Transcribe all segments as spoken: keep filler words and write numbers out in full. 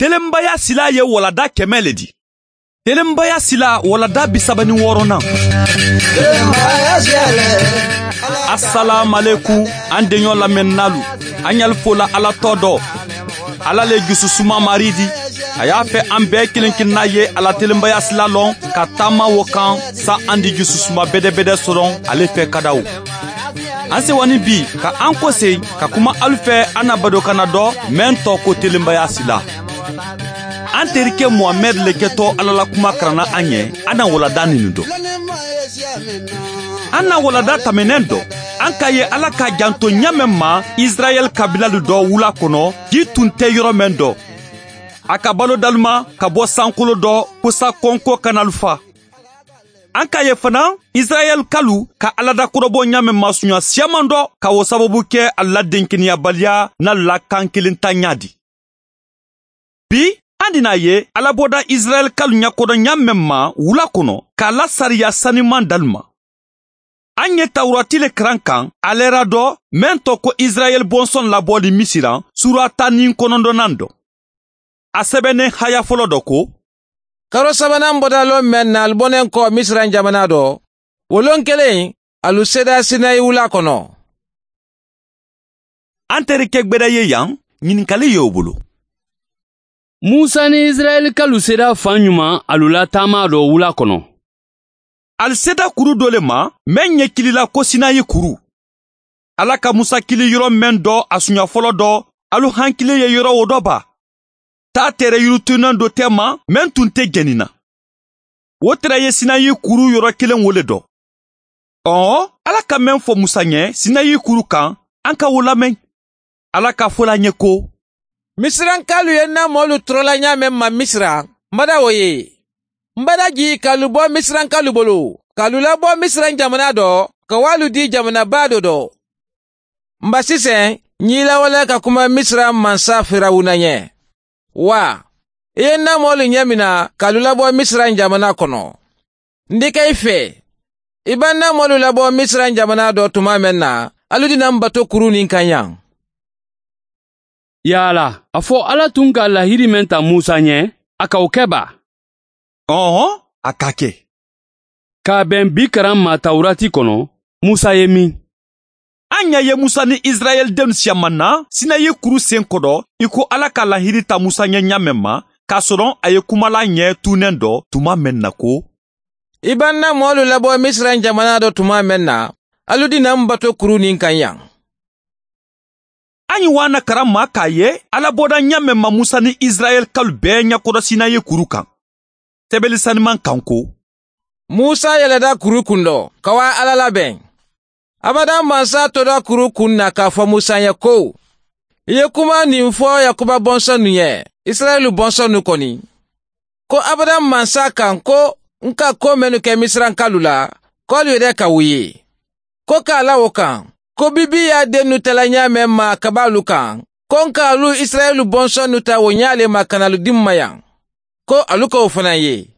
Telenbaya sila ye walada kɛmɛ le di. Telenbaya sila walada bisaba ni wɔɔrɔnan. Assalamu alaikum, an denɲɔ lamɛnnalu, an y'al fola Ala tɔ dɔ. Ala le jususuma mari di. A y'a fɛ an bɛɛ kelen kelenna ye ala telenbaya sila lɔn ka taama wo kan sa an di jususuma bɛdɛbɛdɛ sɔrɔ ale fɛ kadaw. An sewani bi ka an kɔse ka kuma alu fɛ an na badokana dɔ mɛn tɔ ko telenbaya sila. An terikɛ Muhamɛd le kɛtɔ Ala la kuma karanna an ɲɛ an na walada ninu dɔ. An na walada tɛmɛnɛn dɔ, an ka ye Ala ka janto ɲa mɛn ma Israɛl kabilalu dɔ wula kɔnɔ, ji tun tɛ yɔrɔ mɛn dɔ. A ka balo dalima ka bɔ sankolo dɔ kosa kɔnko kanalu fa. An ka ye fana Israɛl kalu ka Ala dakɔrɔbɔ ɲa mɛn masunya siyaman dɔ ka o sababu kɛ a la denkeniyabaliya n'a la kan kelen ta ɲa di. Bi an dina ye Ala bɔda Israɛl kalu ɲakɔrɔ ɲa mɛn ma wula kɔnɔ k'a la sariya saniman dalu ma. An ye Tawurati le karan kan alɛra dɔ mɛn tɔ ko Israɛl bɔnsɔn labɔli Misiran, sura tan ni kɔnɔntɔnnan dɔ. A sɛbɛnnen haya fɔlɔ dɔ ko: Karo sabanan bɔda lon mɛn na alu bɔnen kɔ Misiran jamana dɔ, o lon kelen alu sera Sinayi wula kɔnɔ. An terikɛ gbɛdɛ ye yan, ɲininkali ye o bolo. Musa ni Israɛlikalu sera fan ɲuman alu la taama dɔ wula kɔnɔ? Ali seda kuru dɔ le ma mɛn ɲɛ kilila ko Sinayi kuru. Ala ka Musa kili yɔrɔ mɛn dɔ a sunya fɔlɔ dɔ, alu hankile ye yɔrɔ o dɔ ba. Taa tɛrɛ yirituna dɔ tɛ ma mɛn tun tɛ jɛnina. O tɛrɛ ye Sinayi kuru yɔrɔ kelen wo le dɔ. Ɔɔ, Ala ka mɛn fɔ Musa ɲɛ Sinayi kuru kan, an ka o lamɛn. Ala ka fɔla ɲɛ ko: Misirankalu ye na mɔlu tɔrɔla ɲa mɛn ma Misira, n bada o ye. N bada ji k'alu bɔ Misirankalu bolo, k'alu labɔ Misiran jamana dɔ, ka w'alu di jamanaba dɔ dɔ. N ba sisan, n y'i lawale ka kuma Misira mansa Firawuna ɲɛ. Wa, i ye n na mɔlu ɲɛ mina k'alu labɔ Misiran jamana kɔnɔ. N di kɛ i fɛ, i b'a na mɔlu labɔ Misiran jamana dɔ tuma mɛn na, alu dina n bato kuru nin kan yan. Yala, a fɔ Ala tun ka lahiri mɛn ta Musa ɲɛ, a ka o kɛ ba? Ɔhɔn, a ka kɛ. K'a bɛn bi karan ma Tawurati kɔnɔ, Musa ye min? An ɲa ye Musa ni Israɛl denw siyaman na Sinayi kuru sen kɔrɔ i ko Ala ka lahiri ta Musa ɲɛ ɲa mɛn ma, k'a sɔrɔ a ye kumala ɲɛ tunnɛn dɔ tuma mɛn na ko: I b'an na mɔlu labɔ Misiran jamana dɔ tuma mɛn na, alu dina n bato kuru nin kan yan. An ye wana karan ma k'a ye Ala bɔda ɲa mɛn ma Musa ni Israɛl kalu bɛɛ ɲɛkɔrɔ Sinayi kuru kan. Sɛbɛli saniman kan ko: Musa yɛlɛda kuru kun dɔ, ka wa Ala labɛn. Abada mansa tora kuru kun na k'a fɔ Musa ye ko: I ye kuma nin fɔ Yakuba bɔnsɔn nu ye, Israɛlu bɔnsɔn nu kɔni. Ko abada mansa kan ko n ka ko mɛnnu kɛ Misirankalu la, k'olu yɛrɛ ka o ye. Ko k'a la o kan, ko bibi y'a den nu tɛla ɲa mɛn ma ka b'alu kan, ko n k'alu Israɛlu bɔnsɔn nu ta o ɲa le ma ka n'alu di n ma yan. Ko alu k'o fana ye.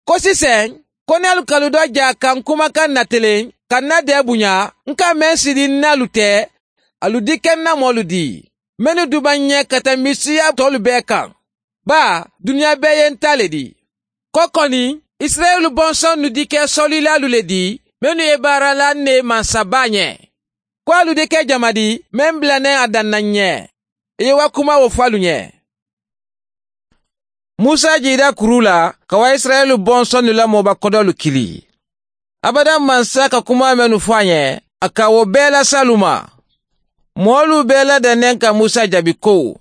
Ko sisan, ko n'alu kalu dɔ ja ka n kumakan natelen, ka n na dɛ bonya, n ka mɛn siri n'alu tɛ, alu di kɛ n na mɔlu di. Mɛnnu duba ɲɛ ka tɛmɛ siya tɔlu bɛɛ kan. Ba, duniya bɛɛ ye n ta le di. Ko kɔni, Israɛlu bɔnsɔn nu di kɛ sɔlilalu le di, minnu ye baara la ne mansaba ɲɛ. Ko alu de kɛ jama di, mɛn bilanɛ a danna ɲɛ. I ye wa kuma o fɔ alu ɲɛ. Musa jira kuru la ka wa Israɛlu bɔnsɔn nu la mɔba kɔdɔlu kili. Abada mansa ka kuma mɛnnu fɔ a ɲɛ, a ka o bɛɛ las'alu ma. Mɔɔlu bɛɛ ladɛnnen ka Musa jaabi ko: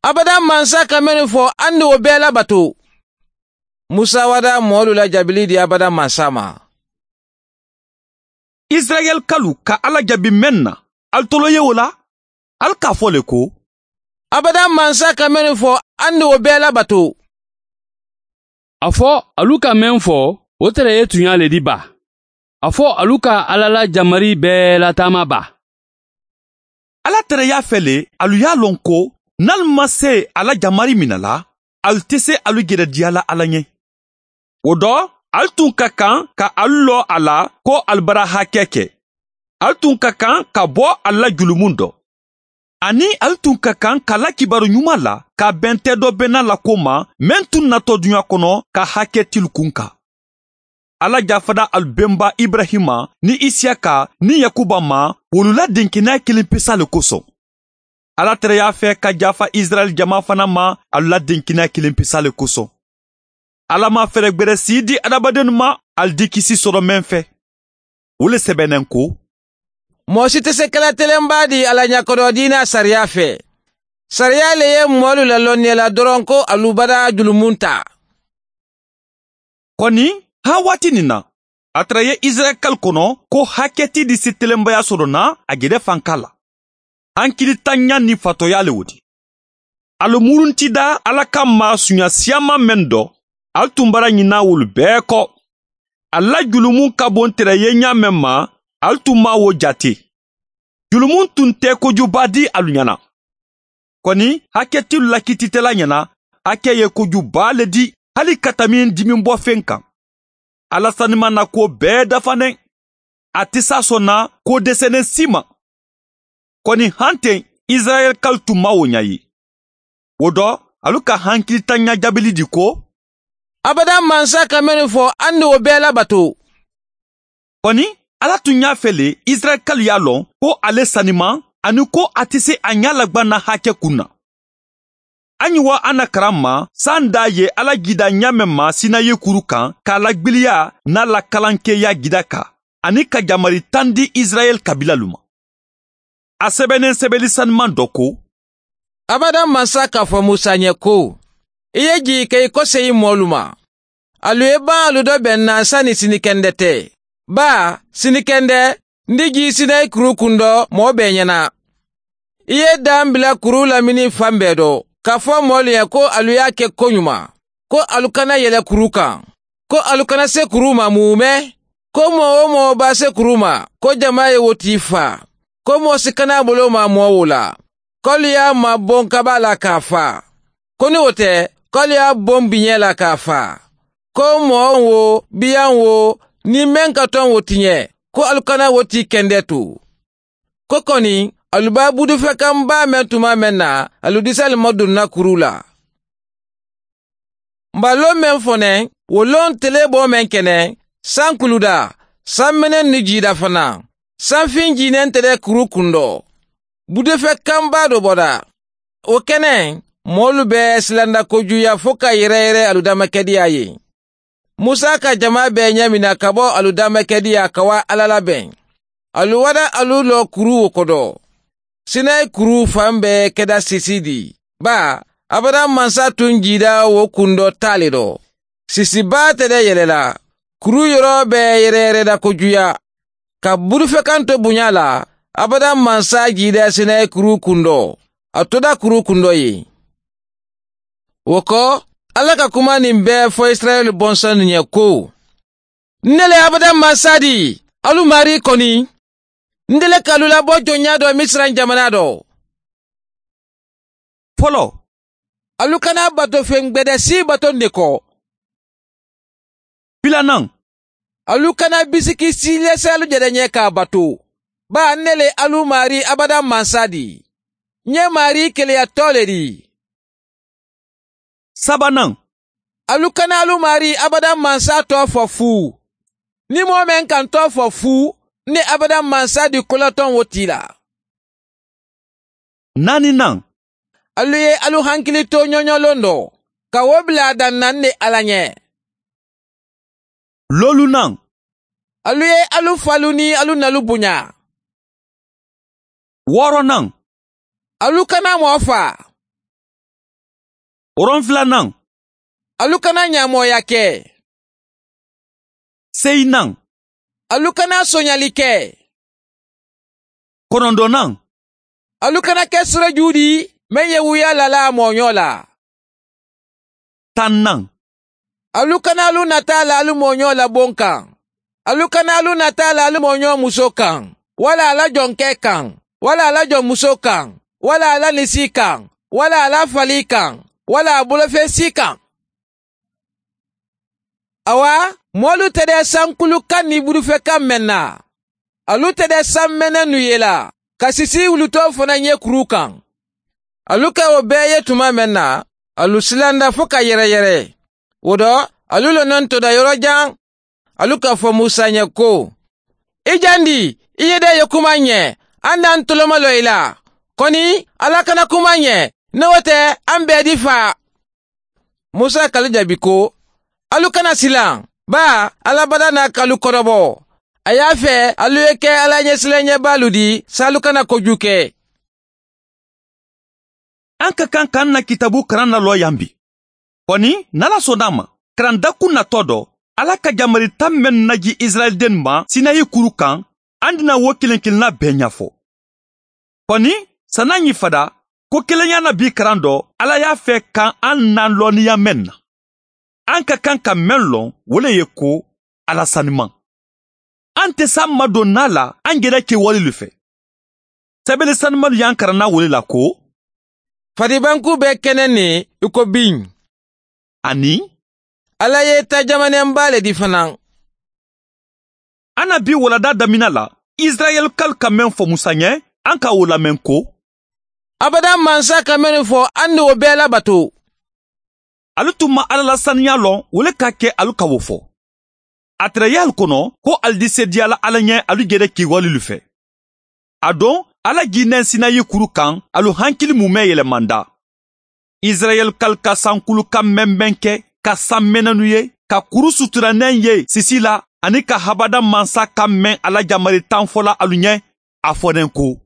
Abada mansa ka mɛnnu fɔ, an ni o bɛɛ labato. Musa wada mɔɔlu la jaabili di abada mansa ma. Israɛl kalu ka Ala jaabi mɛn na, al tolo ye o la, al k'a fɔ le ko: Abada mansa ka mɛnnu fɔ, an ni o bɛɛ labato. A fɔ alu ka mɛn fɔ, o tɛrɛ ye tunya le di ba. A fɔ alu ka Ala la jamari bɛɛ lataama ba. Ala tɛrɛ y'a fɛ le alu y'a lɔn ko n'alu ma se ala jamari mina la, alu tɛ se alu gɛrɛ diya la Ala ɲɛ. O dɔ, alu tun ka kan ka alu lɔ a la ko alu bara hakɛ kɛ. Alu tun ka kan ka bɔ a la julumun dɔ. Ani alu tun ka kan ka la kibaru ɲuman la ka bɛn tɛ dɔ bɛnna la ko ma mɛn tun natɔ duɲa kɔnɔ ka hakɛ tilu kun kan. Ala jafada alu bɛnba Ibrahima ni Isiyaka ni Yakuba ma wolu la denkɛnɛya kelen pesa le kosɔn. Ala tɛrɛ y'a fɛ ka jafa Israɛl jama fana ma alu la denkɛnɛya kelen pesa le kosɔn. Ala ma fɛɛrɛ gbɛrɛ si di adamadennu ma alu di kisi sɔrɔ mɛn fɛ. O le sɛbɛnnen ko: Mɔgɔ si tɛ se kɛla telenba di Ala ɲɛkɔrɔ diina sariya fɛ. Sariya le ye mɔɔlu lalɔnniya la dɔrɔn ko alu bada julumun ta. Kɔni ha waati nin na, a tɛrɛ ye Israɛl kɔnɔ ko hakɛti di se telenbaya sɔrɔ na a gɛrɛ fanka la. Hankilitanya ni fatɔya le o di. Alu murunti da Ala ka maa sunya siyaman mɛn dɔ, alu tun bara ɲina wolu bɛɛ kɔ. A la julumun ka bon tɛrɛ ye ɲa mɛn ma, alu tun ma wo jate. Julumun tun tɛ kojuba di alu ɲɛna. Kɔni hakɛtilu lakititɛla ɲɛna, hakɛ ye kojuba le di hali ka tami dimi bɔ fɛn kan. Ala sanima na ko bɛɛ dafanen. A tɛ s'a sɔnna ko dɛsɛnen si ma. Kɔni han ten Israɛl kalu tun ma o ɲa ye. O dɔ, alu ka hankilitanya jaabili di ko: Abada mansa ka minnu fɔ an ni o bɛɛ labato. Kɔni Ala tun y'a fɛ le Israɛl kalu y'a lɔn ko ale sanima ani ko a tɛ se a ɲɛ lagbanna hakɛ kun na. An ye wa an na karan ma san da ye Ala gida ɲa mɛn ma Sinayi kuru kan k'a lagbiliya n'a la kalankɛya gida kan ani ka jamari tan di Israɛl kabilalu ma. A sɛbɛnnen sɛbɛnni sanuman dɔ ko: Abada mansa k'a fɔ Musa ɲɛ ko: I ye jigi kɛ i kɔsegin mɔɔlu ma. Alu ye ban alu dɔ bɛn na sani sinikɛndɛ tɛ. Ba sinikɛndɛ n di ji Sinayi kuru kun dɔ mɔɔ bɛɛ ɲɛna. I ye dan bila kuru lamini fan bɛɛ dɔ k'a fɔ mɔɔlu ye ko alu y'a kɛ ko ɲuman, ko alu kana yɛlɛ kuru kan, ko alu kana se kuru ma mumɛ, ko mɔɔ o mɔɔ b'a se kuru ma, ko jama ye wo t'i fa, ko mɔɔ si kana bolo ma mɔɔ wo la, k'alu y'a mabɔn kaba la k'a fa, ko ni o tɛ k'alu y'a bɔn biɲɛ la k'a fa, ko mɔɔ wo biyan wo ni mɛn ka tɔn wo tiɲɛ, ko alu kana wo t'i kɛndɛ to. Ko kɔni alu b'a budufɛkanba mɛn tuma mɛn na, alu disali ma donna kuru la. Nba lon mɛn fɔnɛ, wo lon tele bɔ mɛn kɛnɛ, san kuluda, san mɛnɛ ni jida fana, sanfin jinɛn tɛrɛ kuru kun dɔ. Budufɛkanba dɔ bɔra. O kɛnɛ, mɔɔlu bɛɛ silanda kojuya fo ka yɛrɛ yɛrɛ alu damakɛdiya ye. Musa ka jama bɛɛ ɲɛ mina ka bɔ alu damakɛdiya ka wa Ala labɛn. Alu wada alu lɔ kuru wo kɔdɔ. Sinayi kuru fan bɛɛ kɛda sisi di. Ba, abada mansa tun jida wo kun dɔ t'ale dɔ. Sisiba tɛ dɛ yɛlɛla. Kuru yɔrɔ bɛɛ yɛrɛ yɛrɛ da kojuya. Ka burufɛkan to bonya la, abada mansa jida Sinayi kuru kun dɔ. A toda kuru kun dɔ ye. O kɔ, Ala ka kuma nin bɛɛ fɔ Israɛl bɔnsɔn ɲɛ ko: Ne le abada mansa di, alu mari kɔni. N dele k'alu labɔ jɔnya dɔ Misira jamana dɔ. Fɔlɔ, alu kana bato fɛn gbɛdɛ si bato ne kɔ. Filanan, alu kana bisiki si lɛsɛ alu jɛrɛ ɲɛ k'a bato. Ba ne le alu mari abada mansa di. N ye mari keleyatɔ le di. Sabanan, alu kana alu mari abada mansa tɔ fɔ fu. Ni mɔɔ mɛn kan tɔ fɔ fu, ne abada mansa di kolatɔn wo t'i la. Naaninan, alu ye alu hankili to ɲɔɲɔlon dɔ, ka wo bila a dan na ne Ala ɲɛ. Lolunan, alu ye alu falu ni alu nalu bonya. Wɔɔrɔnan, alu kana mɔɔ fa. Wolonfilanan, alu kana ɲamɔya kɛ. Seyinan, alu kana sonyali kɛ. Kɔnɔntɔnnan, alu kana kɛ siraju di mɛn ye wuya lala mɔɲɔ la. Tannan, alu kana alu nata la alu mɔɲɔ la bon kan. Alu kana alu nata la alu mɔɲɔ muso kan, wala ala jɔnkɛ kan, wala ala jɔnmuso kan, wala ala nisi kan, wala ala fali kan, wala a bolofɛn si kan. Awa, mɔlu tɛ dɛ sankulu kan ni burufɛ kan mɛn na. Alu tɛ dɛ san mɛnɛ nu ye la. Ka sisi wulutɔ fana ye kuru kan. Alu ka o bɛɛ ye tuma mɛn na, alu silanda fo ka yɛrɛyɛrɛ. O dɔ, alu lɔnɔ toda yɔrɔ jan. Alu k'a fɔ Musa ɲɛ ko, i jandi, i ye dɛ ye kuma ɲɛ, an n'an toloma lɔ i la. Kɔni, Ala kana kuma ɲɛ, n'o tɛ an bɛɛ di fa. Musa k'ale jaabi ko, alu kana silan, ba Ala bada n'a k'alu kɔrɔbɔ. A y'a fɛ alu ye kɛ Ala ɲɛsiranɲɛbaalu di, s'alu kana kojugu kɛ. An ka kan k'an na kitabu karan na lɔ yan bi. Kɔni, n'Ala sɔnna a ma, karandakun natɔ dɔ, Ala ka jamari tan mɛn naji Israɛlden ma Sinayi kuru kan, an dina wo kelen kelenna bɛɛ ɲɛfɔ. Kɔni, san'an y'i fada, ko kelenya na bi karan dɔ, Ala y'a fɛ kan an na lɔnniya mɛn na. An ka kan ka mɛn lɔn, o le ye ko Ala saniman. An tɛ s'an madon n'a la, an yɛrɛ kɛwale le fɛ. Sɛbɛnni sanumalu y'an karanna o le la ko, Faribanku bɛ kɛnɛ nin i ko bin. Ani Ala ye ta jamanenba le di fana. An na bi walada damina la, Israɛlkalu ka mɛn fɔ Musa ɲɛ, an ka o lamɛn ko, Abada mansa ka mɛn fɔ an ni o bɛɛ labato. Alu tun ma Ala la saniya lɔn, o le ka kɛ alu ka o fɔ. A tɛrɛ y'alu kɔnɔ ko alu di se diyala Ala ɲɛ alu yɛrɛ kɛwale fɛ. A don, Ala jinɛ Sinayi kuru kan, alu hankili mumɛ yɛlɛmanda. Israɛlkalu ka sankulu ka mɛnmɛn kɛ, ka san mɛnɛnu ye, ka kuru suturanɛ ye sisi la, ani ka habada mansa ka mɛn Ala jamari tan fɔla alu ɲɛ, a fɔnen ko,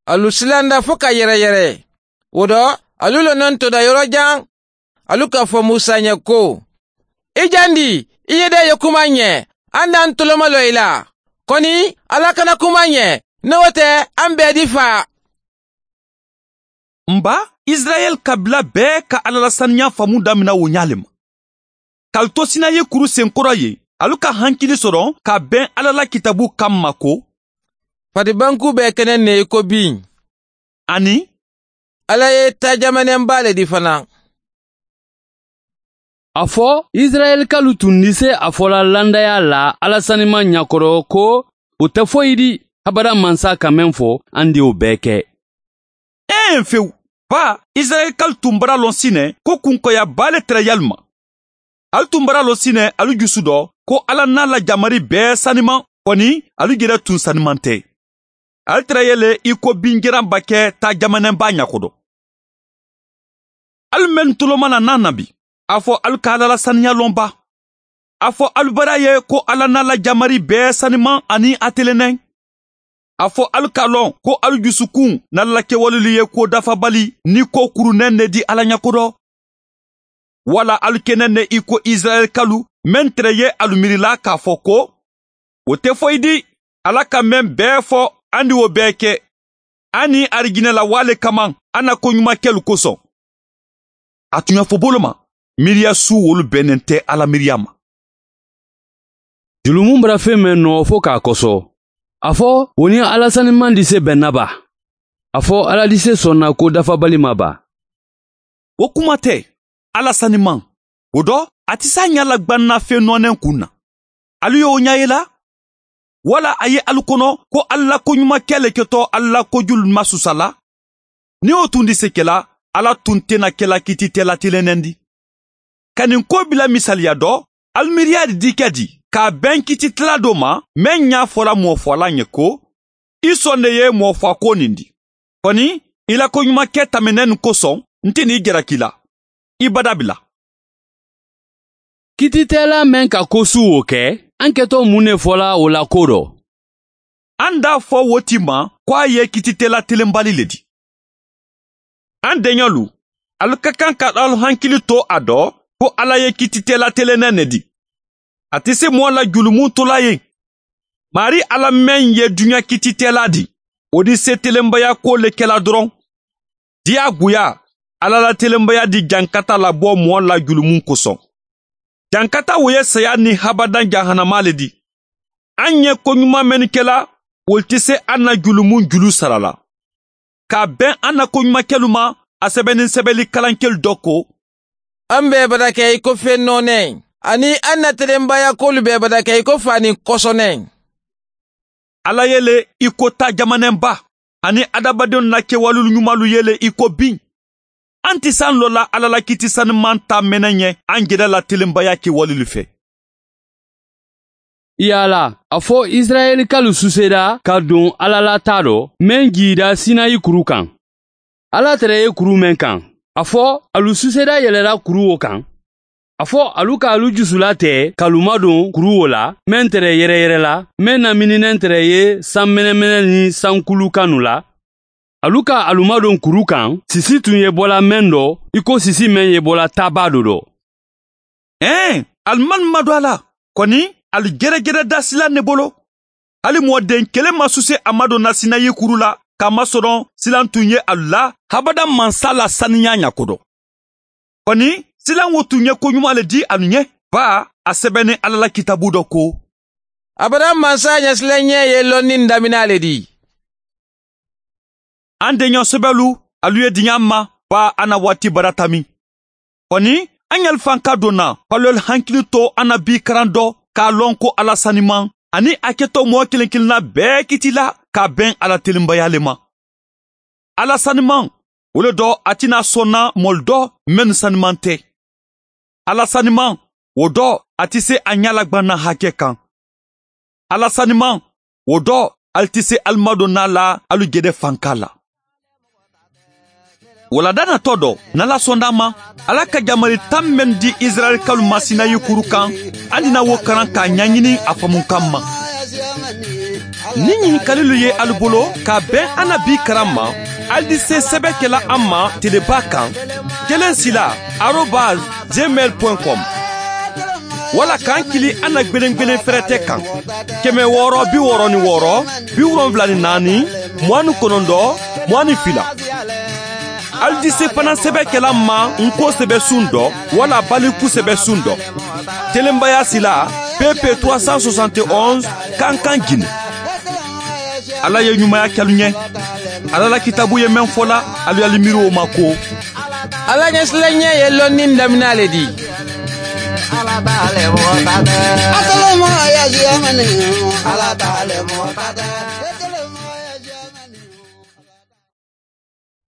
Alu silanda fo ka yɛrɛyɛrɛ. O dɔ, alu lɔnɔ toda yɔrɔ jan. Alu k'a fɔ Musa ɲɛ ko, i jandi, i ye dɛ ye kuma ɲɛ, an n'an toloma lɔ i la. Kɔni, Ala kana kuma ɲɛ, n'o tɛ an bɛɛ di fa. Nba, Israɛl kabila bɛɛ ka Ala la saniya faamu damina o ɲa le ma. K'alu to Sinayi kuru senkɔrɔ ye, alu ka hankili sɔrɔ ka bɛn Ala la kitabu kan ma ko, Faribanku bɛ kɛnɛ ne i ko bin. Ani Ala ye ta jamanenba le di fana. A fɔ Israɛlkalu tun ni se a fɔla landaya la Ala saniman ɲakɔrɔ ko o tɛ foyi di habada mansa ka mɛn fɔ an de o bɛɛ kɛ. Ɛn fewu, ba Israɛlkalu tun bara lɔn sinɛ ko kunkɔyaba le tɛrɛ yalu ma. Alu tun bara lɔn sinɛ alu jusu dɔ ko Ala n'a la jamari bɛɛ saniman, kɔni alu yɛrɛ tun saniman tɛ. Alu tɛrɛ yɛlɛ i ko binjaranba kɛ ta jamanɛnba ɲakodɔ. Alu mɛn toloma na n'a na bi, a fɔ alu ka Ala la saniya lɔn ba. A fɔ alu bara ye ko Ala n'a la jamari bɛɛ saniman ani a telenɛ. A fɔ alu k'a lɔn ko alu jusukun n'Ala la kɛwalelu ye ko dafabali ni ko kurunɛ ne di Ala ɲakodɔ. Wala alu kɛnɛ ne i ko Israɛlkalu mɛn tɛrɛ ye alu miirila k'a fɔ ko, o tɛ foyi di, Ala ka mɛn bɛɛ fɔ an di o bɛɛ kɛ. An ni arijinɛ la wale kama an na koɲuman kɛlu kosɔn. A tun y'a fɔ bolo ma, miiriya su wolu bɛnnen tɛ Ala miiriya ma. Julumun bara fɛn mɛn nɔ fo k'a kɔsɔ. A fɔ o ni Ala saniman di se bɛnna ba. A fɔ Ala di se sɔnna ko dafabali ma ba. O kuma tɛ, Ala saniman. O dɔ, a tɛ s'a ɲɛ la gbanna fɛn nɔɔnɛ kun na. Alu y'o ɲɛ ye la? Wala a ye alu kɔnɔ ko Ala la koɲuman kɛ le kɛtɔ Ala la kojulu ma susa la? Ni o tun di se kɛla, Ala tun tɛna kɛla kiti tɛla tilennɛn di. Ka nin ko bila misaliya dɔ, alu miiriya di kɛ di, k'a bɛn kiti tila dɔ ma, mɛn ɲa fɔla mɔfɔla ɲɛ ko, i sɔn de ye mɔfɔ ko nin di. Kɔni, i la koɲuman kɛ tɛmɛnɛ nin kosɔn, n tɛ n'i jalaki la. I bada bila. Kititɛla mɛn ka ko su o kɛ, an kɛtɔ mun ne fɔla o la ko dɔ? An d'a fɔ wo ti ma ko a ye kititɛla telenbali le di. An denyɔlu, alu ka kan ka alu hankili to a dɔ ko Ala ye kititɛla telennɛ ne di. A tɛ se mɔɔ la julumun tola ye. Mari Ala mɛn ye duɲa kititɛla di, o di se telenbaya ko le kɛla dɔrɔn. Diyagoya, Ala la telenbaya di jankata labɔ mɔɔ la julumun kosɔn. Jankata o ye saya ni habadan jahanama le di. An ye koɲuman mɛnni kɛla, o tɛ se an na julumun julu sara la. K'a bɛn an na koɲuman kɛlu ma, a sɛbɛnni sɛbɛnni kalankɛlu dɔ ko, An bɛɛ bada kɛ i ko fɛn nɔɔnɛ, ani an na telenbaya k'olu bɛɛ bada kɛ i ko fani kɔsɔnɛ. Ala yele i ko ta jamanɛnba. Ani adamadenw na kɛwalew ɲumanw yele i ko bin. An tɛ san lɔ la Ala la kiti sanuman ta mɛnɛ ɲɛ an yɛrɛ la telenbaya kɛwalew fɛ. Yala a fɔ Israɛlikalu susera ka don Ala la ta dɔ mɛn jira Sinayi kuru kan. Ala tɛrɛ ye kuru mɛn kan. A fɔ alu susera yɛlɛla kuru o kan. A fɔ alu ka alu jusula tɛ k'alu madon kuru o la mɛn tɛrɛ yɛrɛyɛrɛ la mɛn namininɛn tɛrɛ ye san mɛnɛmɛnɛ ni sankulu kanu la. Alu ka alu madon kuru kan sisi tun ye bɔla mɛn dɔ i ko sisi mɛn ye bɔla taba dɔ dɔ. Ɛn alu man ma don a la kɔni alu gɛrɛgɛrɛ da sila ne bolo. Hali mɔden kelen ma suse a ma don na Sinayi kuru la k'a masɔrɔ silan tun ye alu la habada mansa la saniya ɲakodɔn. Kɔni silan wo tun ye koɲuman le di alu ɲɛ ba a sɛbɛnni Ala la kitabu dɔ ko. Abada mansa ɲɛsilanɲɛ ye lɔnni damina le di. An deɲɔ sɛbɛlu alu ye diɲɛ ma ba an na waati baratami. Kɔni an yalifan ka donna k'alu hakili to an na bi karan dɔ k'a lɔn ko Ala saniman ani a kɛtɔ mɔgɔ kelen kelenna bɛɛ kiti la k'a bɛn Ala telenbaya le ma. Ala saniman o le dɔ a tɛna sɔnna mɔli dɔ mɛn saniman tɛ. Ala saniman o dɔ a tɛ se a ɲɛlagbanna hakɛ kan. Ala saniman o dɔ ali tɛ se alimadonna la alu gɛdɛ fanka la. Walada natɔ dɔ n'Ala sɔnna ma Ala ka jamari tan mɛn di Israɛlikalu ma Sinayi kuru kan an dina wo karan k'a ɲɛɲini a faamukan ma. Ni ɲininkalilu ye alu bolo k'a bɛn an na bi karan ma ali di se sɛbɛn kɛla an ma teleba kan kelen sila arobase gmail point com wala k'an kili an na gwelen-gwelen fɛrɛtɛ kan kɛmɛ wɔɔrɔ bi wɔɔrɔ ni wɔɔrɔ bi wolonfila ni naani mugan ni kɔnɔntɔn mugan ni fila. Ali di se fana sɛbɛn kɛla ma nko sɛbɛ sun dɔ wala baliku sɛbɛ sun dɔ. Telenbaya sila P P trois cent soixante et onze Kankan Guinée. Ala ye ɲumanya kɛlu ɲɛ. Ala la kitabu ye mɛn fɔla alu y'ali miiri o ma ko. Ala ɲɛsilanɲɛ ye lɔnni damina le di. Ala t'ale mɔgɔ ta tɛ. Asalama ya jiyamani. Ala t'ale mɔgɔ ta tɛ.